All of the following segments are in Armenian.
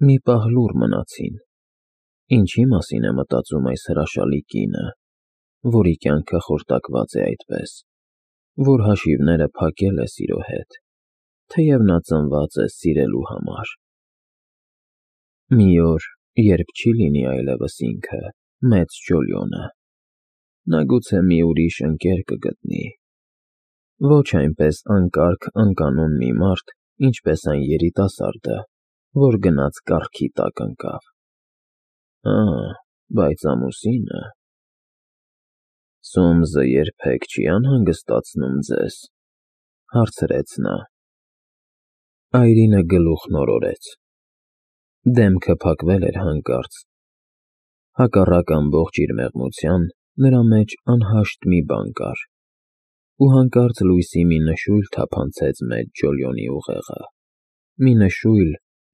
Մի պահ լուռ մնացին. ինչի մասին է մտածում այս հրաշալի կինը, որի կյանքը խորտակված է այդպես, որ հաշիվները փակել է սիրո հետ, թեև նա ծնված է սիրելու համար։ Մի օր, երբ չի լինի այլևս ինքը, մեծ Ջոլիոնը, նա գուցե մի ուրիշ ընկեր կգտնի, ոչ այնպես անկարգ անկանոն մի մարդ, ինչպես այն երիտասարդը, որ գնաց կառքի տակ ընկավ։ Բայց ամուսինը… Սոմզը երբեք չի անհանգստացնում ձեզ, հարցրեց նա։ Այրինը գլուխն օրորեց։ Դեմքը փակվել էր հանկարծ։ Հակառակ ամբողջ իր մեղմության, նրա մեջ անհաշտ մի բան կար, ու հանկարծ լույսի մի նշույլ թափանցեց մեծ Ջոլիոնի ուղեղը, մի նշույլ,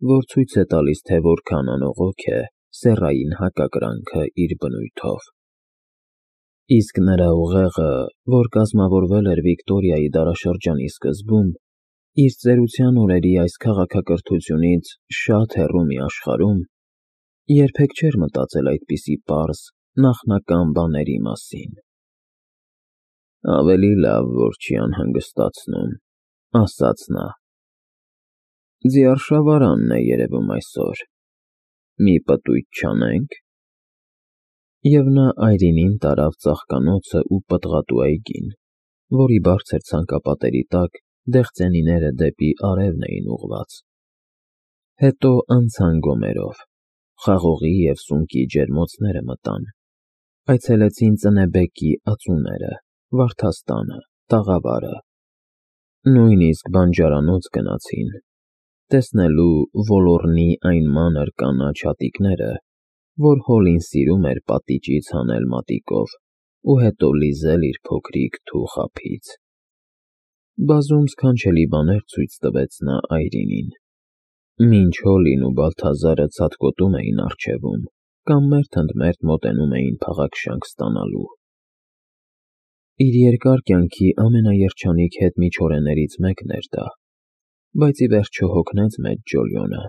որ ցույց է տալիս, թե որքան անողոք է սեռային հակակրանքը իր բնույթով։ Իսկ նրա ուղեղը, որ կազմավորվել էր Վիկտորիայի դարաշրջանի սկզբում, իր ծերության օրերի այս քաղաքակրթությունից շատ հեռու մի աշխարհում, երբեք չէր մտածել այդպիսի պարզ, նախնական բաների մասին։ Ավելի լավ, որ չի անհանգստացնում, ասաց նա։ Ձիարշավարանն է երևում այսօր, մի պտույտ չանե՞նք։ Եվ նա Այրինին տարավ ծաղկանոցը ու պտղատու այգին, որի բարձր ցանկապատերի տակ դեղցենիները դեպի արևն էին ուղղված։ Հետո անցան գոմերով, խաղողի և սունկի ջերմոցները մտան, այցելեցին Ծնեբեկի ածուները, վարդաստանը, տաղավարը, նույնիսկ բանջարանոց գնացին, տեսնելու ոլորնի այն մանր կանաչ հատիկները, որ Հոլին սիրում էր պատիճից հանել մատիկով ու հետո լիզել իր փոքրիկ թուխ ափից։ Բազում սքանչելի բաներ ցույց տվեց նա Այրինին, մինչ Հոլին ու Բալթազարը ցատկոտում էին առջևում կամ մերթ ընդ մերթ մոտենում էին փաղաքշանք ստանալու։ Իր երկար կյանքի ամենաերջանիկ հետմիջօրեներից մեկն էր դա, բայց ի վերջո հոգնեց մեծ Ջոլիոնը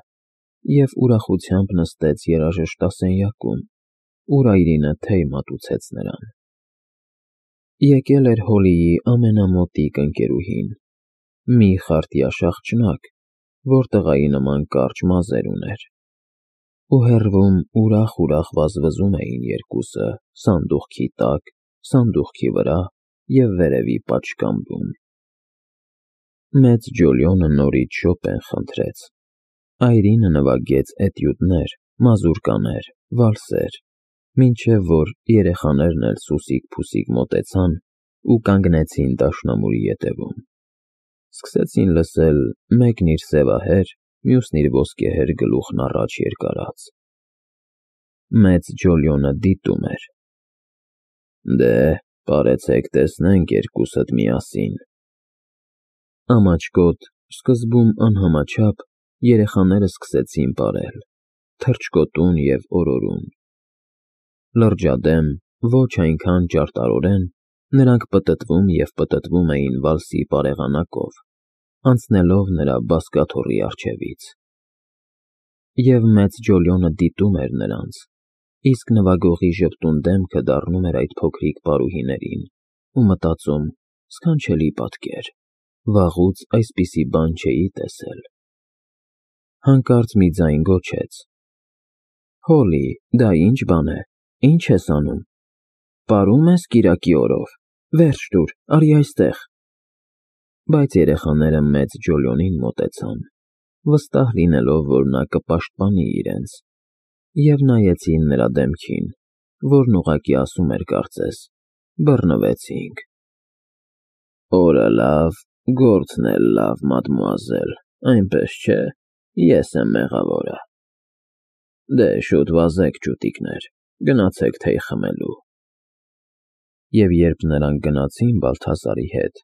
և ուրախությամբ նստեց երաժշտասենյակում, ուր Այրինը թեյ մատուցեց նրան։ Եկել էր Հոլիի ամենամոտիկ ընկերուհին, մի խարտյաշ աղջնակ, որ տղայի նման կարճ մազեր ուներ, ու հեռվում ուրախ-ուրախ վազվզում էին երկուսը սանդուղքի տակ, սանդուղքի վրա և վերևի պատշգամբում։ Մեծ Ջոլիոնը նորից Շոպեն խնդրեց։ Այրինը նվագեց էտյուդներ, մազուրկաներ, վալսեր, մինչև որ երեխաներն էլ սուսիկ-փուսիկ մոտեցան ու կանգնեցին դաշնամուրի ետևում։ Սկսեցին լսել մեկն իր սևահեր, մյուսն իր ոսկեհեր գլուխն առաջ երկարած։ Մեծ Ջոլիոնը դիտում էր։ Դե, պարեցեք տեսնենք երկուսդ միասին։ Ամաչկոտ, սկզբում անհամաչափ, երեխաները սկսեցին պարել, թռչկոտուն և օրորուն։ Լրջադեմ, ոչ այնքան ճարտարորեն, նրանք պտտվում և պտտվում էին վալսի պարեղանակով, անցնելով նրա բազկաթոռի առջևից։ Եվ մեծ Ջոլիոնը դիտում էր նրանց, իսկ նվագողի ժպտուն դեմքը դառնում էր այդ փոքրիկ պարուհիներին ու մտածում. սքանչելի պատկեր, վաղուց այսպիսի բան չէի տեսել։ Հանկարծ մի ձայն գոչեց. Հոլի, դա ի՞նչ բան է, ի՞նչ ես անում, պարում ես կիրակի օրով, վերջ տուր, արի այստեղ։ Բայց երեխաները մեծ Ջոլիոնին մոտեցան, վստահ լինելով, որ նա կպաշտպանի իրենց, և նայեցին նրա դեմքին, որն ուղղակի ասում էր կարծես. բռնվեցինք։ Օրը լավ, գործն էլ լավ, մադմուազել, այնպես չէ, ես եմ մեղավորը։ Դե, շուտ վազեք, ջուտիկներ, գնացեք թեյ խմելու։ Եվ երբ նրանք գնացին Բալթազարի հետ,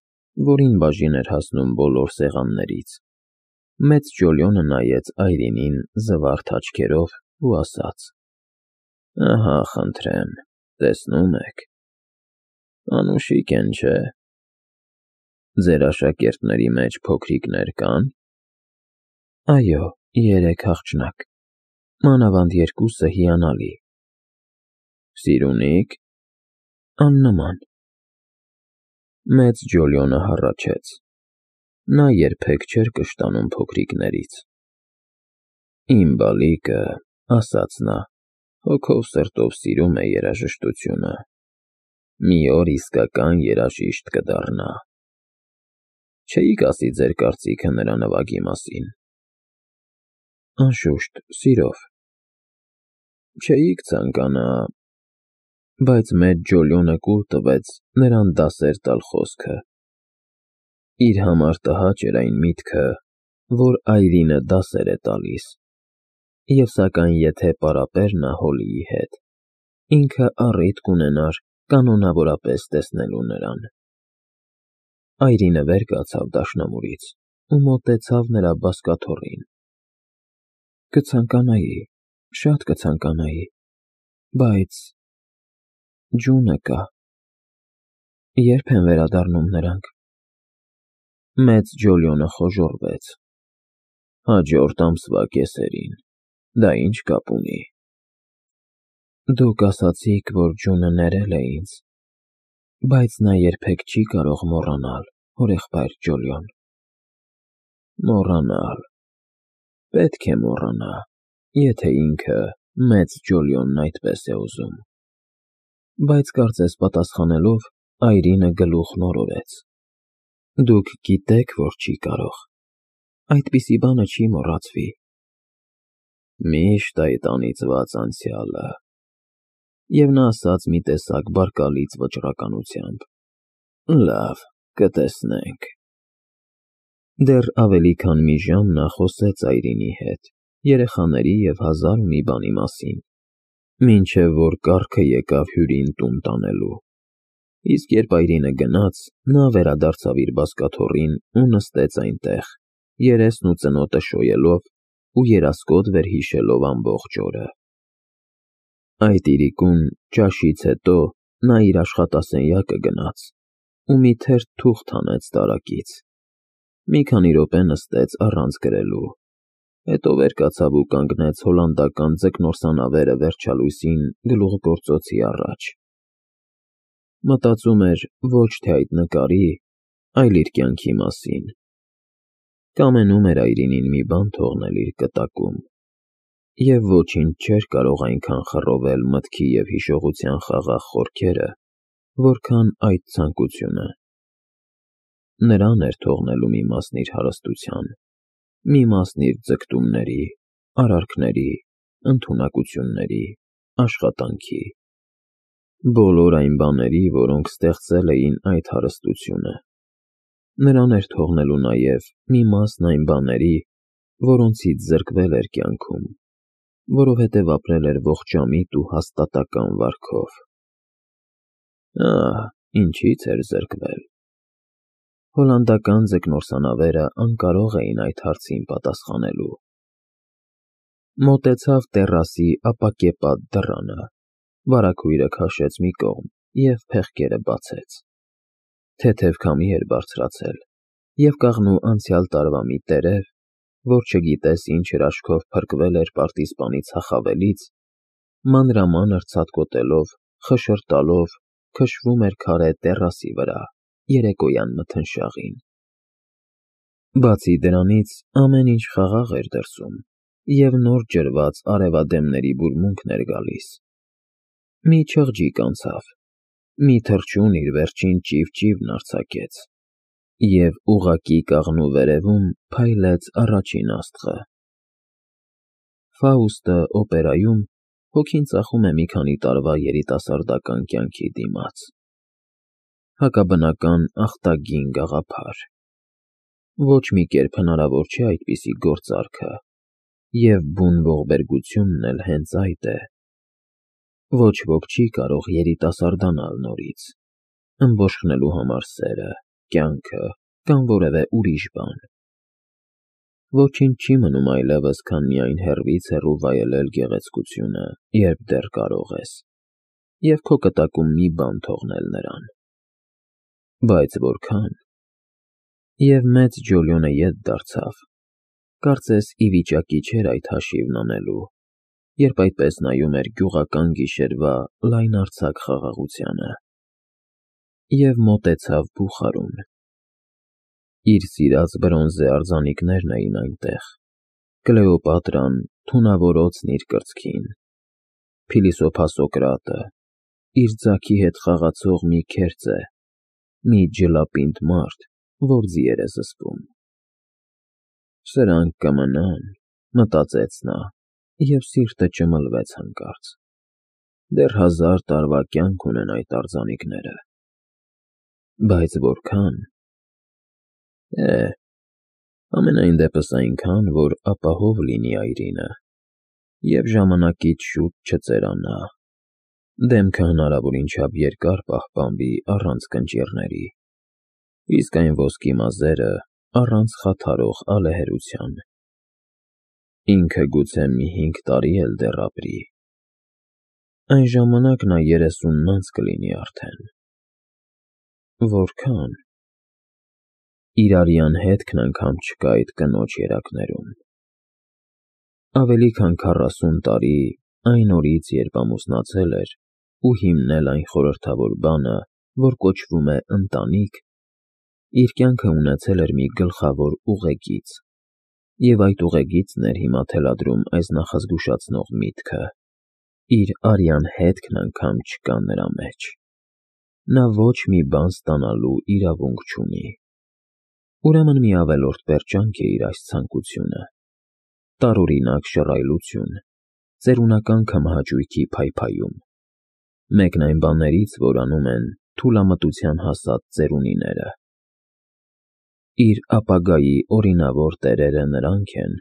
որին բաժին էր հասնում բոլոր սեղաններից, մեծ Ջոլիոնը նայեց Այրինին զվարթ աչքերով ու ասաց. Ահա, խնդրեմ, տեսնում եք, անուշիկ են, չէ՞։ Ձեր աշակերտների մեջ փոքրիկներ կա՞ն։ Այո, 3 աղջնակ։ մանավանդ երկուսը հիանալի։ Սիրունի՞ք, աննման։ Մեծ Ջոլիոնը հառաչեց։ Նա երբեք չէր կշտանում փոքրիկներից։ Իմ բալիկը, ասաց նա, հոգով սրտով սիրում է երաժշտությունը։ Մի օր իսկական երաժիշտ կդառնա։ Չէիք ասի ձեր կարծիքը նրա նվագի մասին։ Անշուշտ, սիրով։ Չէիք ցանկանա… Բայց մեծ Ջոլիոնը կուլ տվեց նրան դասեր տալ խոսքը։ Իր համար տհաճ էր այն միտքը, որ Այրինը դասեր է տալիս, և սակայն եթե պարապեր նա Հոլիի հետ, ինքը առիթ կունենար կանոնավորապես տեսնելու նրան։ Այրինը վեր կացավ դաշնամուրից ու մոտեցավ նրա բազկաթոռին։ Կցանկանայի, շատ կցանկանայի, բայց… ջունը կա… Ե՞րբ են վերադառնում նրանք։ Մեծ Ջոլիոնը խոժոռվեց։ Հաջորդ ամսվա կեսերին, դա ինչ կապ ունի։ Դուք ասացիք, որ ջունը ներել է ինձ, բայց նա երբեք չի կարող մոռանալ, հորեղբայր Ջոլիոն։ Մոռանալ… Պետք է մոռանա, եթե ինքը, մեծ Ջոլիոնն այդպես է ուզում։ Բայց կարծես պատասխանելով, Այրինը գլուխն օրորեց։ Դուք գիտեք, որ չի կարող։ Այդպիսի բանը չի մոռացվի։ Միշտ այդ անիծված անցյալը… Եվ նա ասաց մի տեսակ բարկալից վճռականությամբ. Լավ, կտեսնենք։ Դեռ ավելի քան մի ժամ նա խոսեց Այրինի հետ, երեխաների և հազար ու մի բանի մասին, մինչև որ կառքը եկավ հյուրին տուն տանելու։ Իսկ երբ Այրինը գնաց, նա վերադարձավ իր բազկաթոռին ու նստեց այնտեղ, երեսն ու ծնոտը շոյելով ու երասկոտ վերհիշելով ամբողջ օրը։ Այդ իրիկուն, ճաշից հետո, նա իր աշխատասենյակը գնաց ու մի թերթ թուղթ հանեց տարակից։ Մի քանի րոպե նստեց առանց գրելու, հետո վեր կացավ ու կանգնեց հոլանդական ձկնորսանավերը վերջալույսին գլուխգործոցի առաջ։ Մտածում էր ոչ թե այդ նկարի, այլ իր կյանքի մասին։ Կամենում էր Այրինին մի բան թողնել իր կտակում, և ոչինչ չէր կարող այնքան խռովել մտքի և հիշողության խաղաղ խորքերը, որքան այդ ցանկությունը։ Նրան էր թողնելու մի մասն իր հարստության, մի մասն իր ձգտումների, արարքների, ընդունակությունների, աշխատանքի, բոլոր այն բաների, որոնք ստեղծել էին այդ հարստությունը։ Նրան էր թողնելու նաև մի մասն այն բաների, որոնցից զրկվել էր կյանքում, որովհետև ապրել էր ողջամիտ ու հաստատակամ վարքով։ Ահ, ինչից էր զրկվել։ Հոլանդական ձկնորսանավերը անկարող էին այդ հարցին պատասխանելու։ Մոտեցավ տեռասի ապակեպատ դռանը, վարագույրը քաշեց մի կողմ և փեղկերը բացեց։ Թեթև քամի էր բարձրացել, և կաղնու անցյալ տարվա մի տերև, որ չգիտես ինչ հրաշքով փրկվել էր պարտիզպանի ցախավելից, մանրամանր ցատկոտելով, խշշրտալով քշվում էր քարե տեռասի վրա, երեկոյան մթնշաղին։ Բացի դրանից, ամեն ինչ խաղաղ էր դրսում, և նոր ջրված արևադեմների բուրմունքն էր գալիս։ Մի չղջիկ անցավ, մի թռչուն իր վերջին ճիվ-ճիվն արձակեց, և ուղղակի կաղնու վերևում փայլեց առաջին աստղը։ Ֆաուստը օպերայում հոգին ծախում է մի քանի տարվա երիտասարդական կյանքի դիմաց։ Հակաբնական ախտագին գաղափար։ Ոչ մի կերպ հնարավոր չէ այդպիսի գործարքը, և բուն ողբերգությունն էլ հենց այդ է։ Ոչ ոք չի կարող երիտասարդանալ նորից, ըմբոշխնելու համար սերը, կյանքը կամ որևէ ուրիշ բան։ Ոչինչ չի մնում այլևս, քան միայն հեռվից հեռու վայելել գեղեցկությունը, երբ դեռ կարող ես, և քո կտակում մի բան թողնել նրան։ Բայց որքան… Եվ մեծ Ջոլիոնը ետ դարձավ, կարծես ի վիճակի չէր այդ հաշիվն անելու, երբ այդպես նայում էր գյուղական գիշերվա լայնարձակ խաղաղությանը, և մոտեցավ բուխարուն։ Իր սիրած բրոնզե արձանիկներն էին այնտեղ, Կլեոպատրան թունավորոցն իր կրծքին, փիլիսոփա Սոկրատը, իր ձագի հետ խաղացող մի քերծե, մի ջլապինդ մարդ, որ ձիեր է զսպում։ Սրանք կմնան, մտածեց նա, և սիրտը ճմլվեց հանկարծ։ Դեռ 1000 տարվա կյանք ունեն այդ արձանիկները։ Բայց որքան… Համենայն դեպս այնքան, որ ապահով լինի այրինը, և ժամանակից շուտ չծերանա, դեմքը հնարավորին չափ երկար պահպանվի առանց կնճիռների, իսկ այն ոսկի մազերը առանց խաթարող ալեհերության։ Ինքը գուցե մի 5 տարի էլ դեռ ապրի։ Այն ժամանակ նա 30-ն անց կլինի արդեն։ Որքան… Իրարյան հետքն անգամ չկա այդ կնոջ երակներում։ Ավելի քան 40 տարի այն օրից, երբ ամուսնացել էր ու հիմնել այն խորհրդավոր բանը, որ կոչվում է ընտանիք, իր կյանքը ունեցել էր մի գլխավոր ուղեգիծ, և այդ ուղեգիծն էր հիմա թելադրում այս նախազգուշացնող միտքը. իր արյան հետքն անգամ չկա նրա մեջ։ Նա ոչ մի բան ստանալու իրավունք չունի։ Ուրեմն մի ավելորդ պերճանք է իր այս ցանկությունը, տարօրինակ շռայլություն, ծերունական քմահաճույքի փայփայում, մեկն այն բաներից, որ անում են թուլամտության հասած ծերունիները։ Իր ապագայի օրինավոր տերերը նրանք են,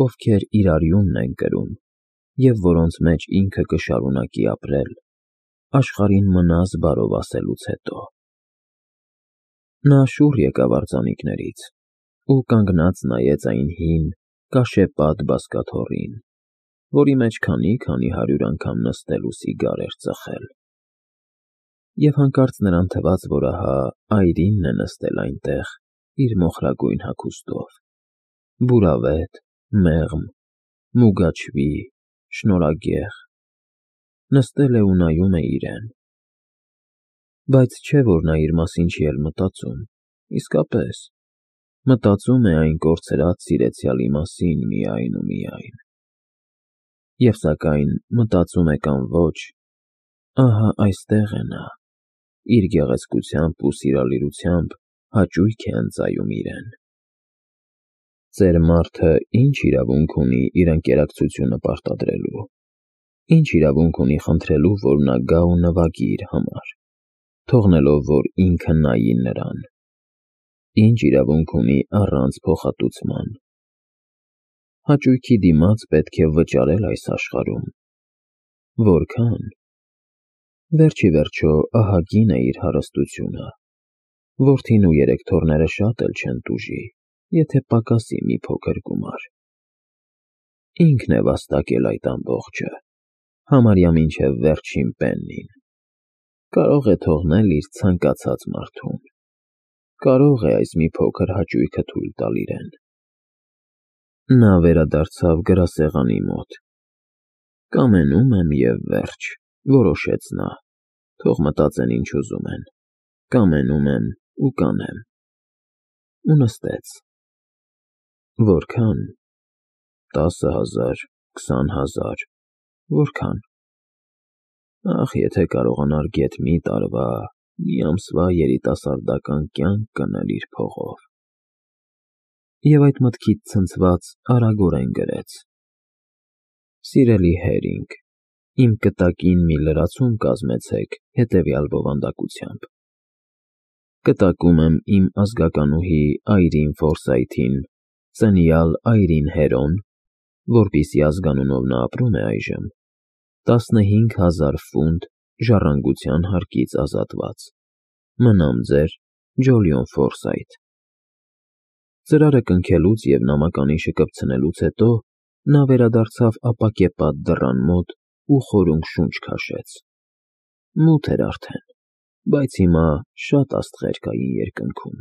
ովքեր իր արյունն են կրում, և որոնց մեջ ինքը կշարունակի ապրել, աշխարհին մնաս բարով ասելուց հետո։ Նա շուռ եկավ արձանիկներից ու կանգնած նայեց այն հին, կաշեպատ բազկաթոռին, որի մեջ քանի 100 անգամ նստել ու սիգար էր ծխել։ Եվ հանկարծ նրան թվաց, որ ահա այրինն է նստել այնտեղ իր մոխրագույն հագուստով, բուրավետ, մեղմ, մուգաչվի, շնորհագեղ, նստել է ու նայում է իրեն։ Բայց չէ՞ որ նա իր մասին չի էլ մտածում, իսկապես, մտածում է այն կորցրած սիրեցյալի մասին միայն ու միայն։ Եվ սակայն մտածում է կամ ոչ, ահա այստեղ է նա, իր գեղեցկությամբ ու սիրալիրությամբ հաճույք է ընծայում իրեն։ Ծեր մարդը ի՞նչ իրավունք ունի իր ընկերակցությունը պարտադրելու, ի՞նչ իրավունք ունի խնդրելու, որ նա գա ու նվագի իր համար, թողնելով, որ ինքը նայի նրան, ի՞նչ իրավունք ունի առանց փոխհատուցման։ Հաճույքի դիմաց պետք է վճարել այս աշխարհում։ Որքան… Վերջ ի վերջո ահագին է իր հարստությունը, որդին ու 3 թոռները շատ էլ չեն տուժի, եթե պակասի մի փոքր գումար։ Ինքն է վաստակել այդ ամբողջը, համարյա մինչև վերջին պեննին, կարող է թողնել իր ցանկացած մարդուն, կարող է այս մի փոքր հաճույքը թույլ տալ իրեն։ Նա վերադարձավ գրասեղանի մոտ։ Կամենում եմ և վերջ, որոշեց նա, թող մտածեն ինչ ուզում են, կամենում եմ ու կանեմ։ Ու նստեց։ Որքան… 10,000, 20,000, որքան… Ախ, եթե կարողանար գեթ մի տարվա, մի ամսվա երիտասարդական կյանք գնել իր փողով… Եվ այդ մտքից ցնցված արագորեն գրեց. Սիրելի Հերինգ, իմ կտակին մի լրացում կազմեցեք հետևյալ բովանդակությամբ. Կտակում եմ իմ ազգականուհի Այրին Ֆորսայթին, ծնյալ Այրին Հերոն, որպիսի ազգանունով նա ապրում է այժմ, 15,000 ֆունտ ժառանգության հարկից ազատված։ Մնամ ձեր Ջոլիոն Ֆորսայթ։ Ծրարը կնքելուց և նամականիշը կպցնելուց հետո նա վերադարձավ ապակեպատ դռան մոտ ու խորունգ շունչ քաշեց։ Մութ էր արդեն, բայց հիմա շատ աստղեր կային երկնքում։